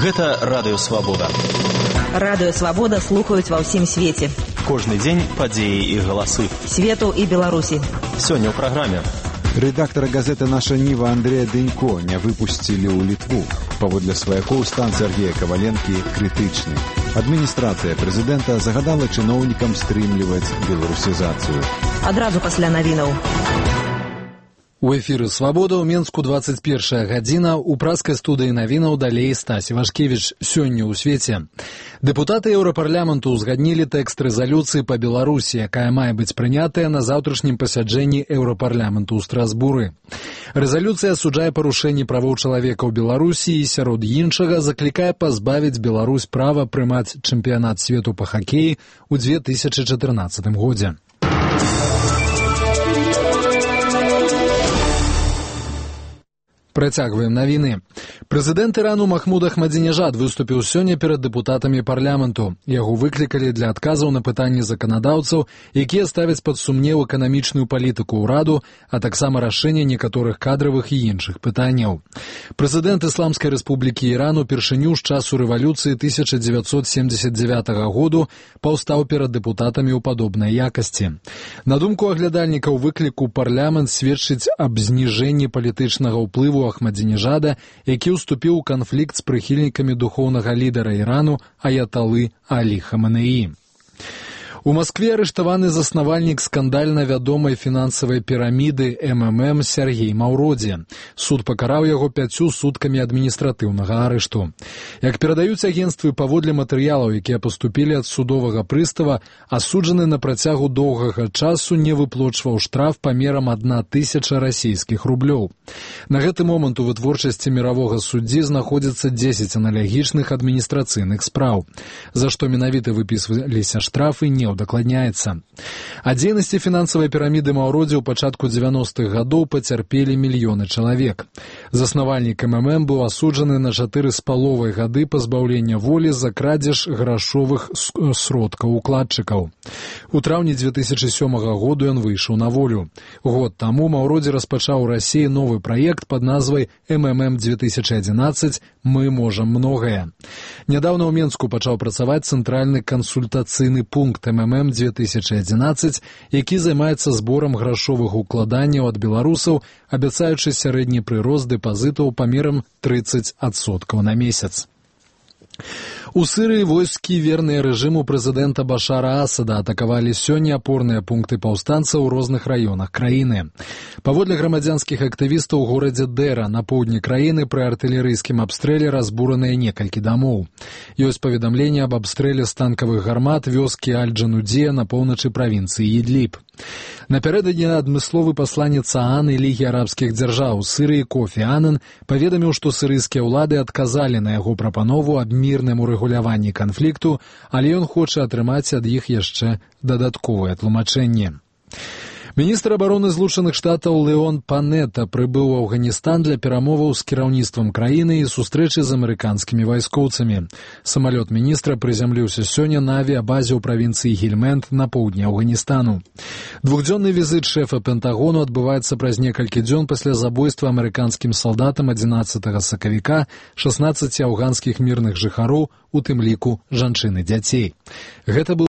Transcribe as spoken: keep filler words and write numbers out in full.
Гэта Радыё Свабода. Радыё Свабода слухаюць ва ўсім свеце. Кожны дзень падзеі і галасы. Свету і Беларусі. Сёння ў праграме. Рэдактара газеты «Наша Ніва» Андрэя Дэнько не выпусцілі ў Літву. Паводле сваякоў стан Сергея Каваленкі крытычны. Адміністрацыя прэзідэнта загадала чыноўнікам стрымліваць беларусізацыю. Адразу пасля навінаў. У эфіры «Свабода» ў Менску двадцать першая гадзіна, у праскай студыі навінаў далей Стась Івашкевіч. Сёння ў свеце. Дэпутаты Еўрапарламенту ўзгаднілі тэкст рэзалюцыі па Беларусі, якая мае быць прынятая на заўтрашнім пасяджэнні Еўрапарламенту ў Страсбуры. Рэзалюцыя асуджае парушэнні правоў чалавека ў Беларусі і, сярод іншага, заклікае пазбавіць Беларусь права прымаць чэмпіянат свету па хакеі ў две тысячы чатырнаццатым годзе. Працягваем навіны. Прэзідэнт Ірану Махмуд Ахмадзінежад выступіў сёння перад дэпутатамі парламенту. Яго выклікалі для адказаў на пытанні заканадаўцаў, якія ставяць пад сумнеў эканамічную палітыку ўраду, а таксама рашэнне некаторых кадравых і іншых пытанняў. Прэзідэнт Ісламскай рэспублікі Іран упершыню з часу рэвалюцыі тысяча дзевяцьсот семдзесят дзевятага году паўстаў перад дэпутатамі ў падобнай якасці. На думку аглядальнікаў выкліку, парламент сведчыць аб зніжэнні палітычнага ўплыву Ахмадзінежада, які ўступіў у канфлікт з прыхільнікамі духоўнага лідара Ірану аяталы Алі Хаменеі. У Маскве арыштаваны заснавальнік скандальна вядомай фінансавай піраміды эм эм эм Сергей Маўродзе. Суд пакараў яго пяццю суткамі адміністратыўнага арышту. Як перадаюць агенцтвы, паводле матэрыялаў, якія паступілі ад судовага прыстава, асуджаны на працягу доўгага часу не выплочваў штраф памерам адна тысяча расійскіх рублёў. На гэты момант у вытворчасці міравога суддзі знаходзіцца дзесяць аналагічных адміністрацыйных спраў, за што менавіта выпісваліся штрафы, не удакладняецца. Ад дзейнасці фінансавай піраміды Маўродзе ў пачатку дзевяностых гадоў пацярпелі мільёны чалавек. Заснавальнік эм эм эм быў асуджаны на чатыры з паловай гады пазбаўлення волі за крадзеж грашовых сродкаў укладчыкаў. У траўні две тысячы сёмага году ён выйшаў на волю. Год таму Маўродзе распачаў у Расіі новы праект пад назвай эм эм эм две тысячи одиннадцать «Мы можам многае». Нядаўна ў Менску пачаў працаваць цэнтральны кансультацыйны пункт эм эм эм две тысячи одиннадцать, які займаецца зборам грашовых укладанняў ад беларусаў, абяцаючы сярэдні прырост дэпазітаў памерам тридцать адсоткаў на месяц. У Сырыі войскі, верныя рэжыму прэзідэнта Башара Асада, атакавалі сёння апорныя пункты паўстанцаў у розных раёнах краіны. Паводле грамадзянскіх актывістаў у горадзе Дэра на поўдні краіны пры артылерыйскім абстрэле разбураныя некалькі дамоў. Ёсць паведамленне аб абстрэле з танкавых гармат вёскі Аль-Джанудзія на поўначы правінцыі Ідліб. Напярэдадні адмысловы пасланец ААН і Лігі арабскіх дзяржаў Сырыі Кофі Анан паведаміў, што сырыйскія ўлады адказалі на яго прапанову аб мірным урэгуляванні канфлікту, але ён хоча атрымаць ад іх яшчэ дадатковае тлумачэнне. Міністр абароны Злучаных Штатаў Леон Панета прыбыў у Афганістан для перамоваў з кіраўніцтвам краіны і сустрэчы з амерыканскімі вайскоўцамі. Самалёт міністра прызямліўся сёння на авіябазе ў правінцыі Гельмэнд на поўдні Афганістану. Двухдзённы візіт шэфа Пентагону адбываецца праз некалькі дзён пасля забойства амерыканскім салдатам адзінаццатага сакавіка шаснаццаці афганскіх мірных жыхароў, у тым ліку жанчын і дзяцей. Гэта быў